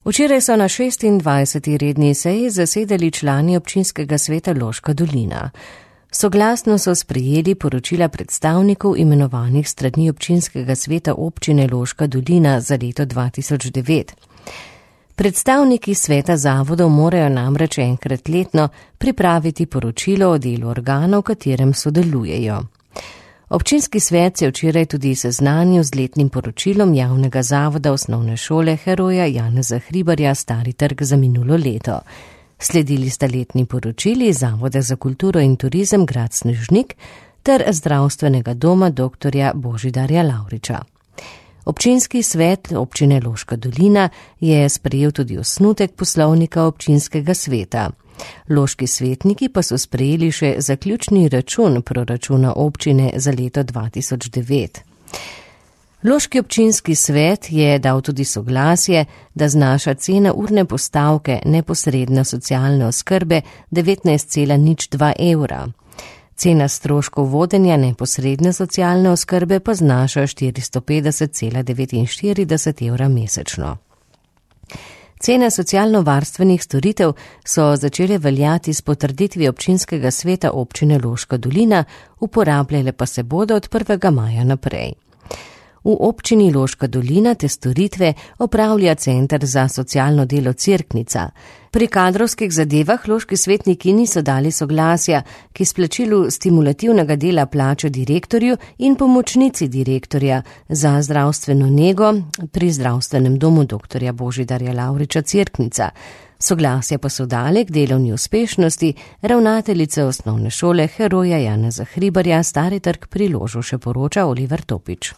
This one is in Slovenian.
Včeraj so na 26. redni seji zasedali člani občinskega sveta Loška dolina. Soglasno so sprejeli poročila predstavnikov imenovanih strani občinskega sveta občine Loška dolina za leto 2009. Predstavniki sveta zavodov morajo namreč enkrat letno pripraviti poročilo o delu organov, v katerem sodelujejo. Občinski svet se je včeraj tudi seznanil z letnim poročilom javnega zavoda osnovne šole Heroja Janeza Hribarja Stari trg za minulo leto. Sledili sta letni poročili Zavoda za kulturo in turizem Grad Snežnik ter zdravstvenega doma dr. Božidarja Lavriča. Občinski svet občine Loška dolina je sprejel tudi osnutek poslovnika občinskega sveta. Loški svetniki pa so sprejeli še zaključni račun proračuna občine za leto 2009. Loški občinski svet je dal tudi soglasje, da znaša cena urne postavke neposredne socialne oskrbe 19,02 evra. Cena stroškov vodenja neposredne socialne oskrbe pa znaša 450,49 evra mesečno. Cene socialno-varstvenih storitev so začele veljati s potrditvijo občinskega sveta občine Loška dolina, uporabljale pa se bodo od 1. maja naprej. V občini Loška dolina te storitve opravlja Center za socialno delo Cerknica. Pri kadrovskih zadevah loški svetniki niso dali soglasja k izplačilu stimulativnega dela plače direktorju in pomočnici direktorja za zdravstveno nego pri zdravstvenem domu dr. Božidarja Lavriča Cerknica. Soglasja pa so dali k delovni uspešnosti ravnateljice osnovne šole Heroja Janeza Hribarja Stari trg pri Ložu, še poroča Oliver Topič.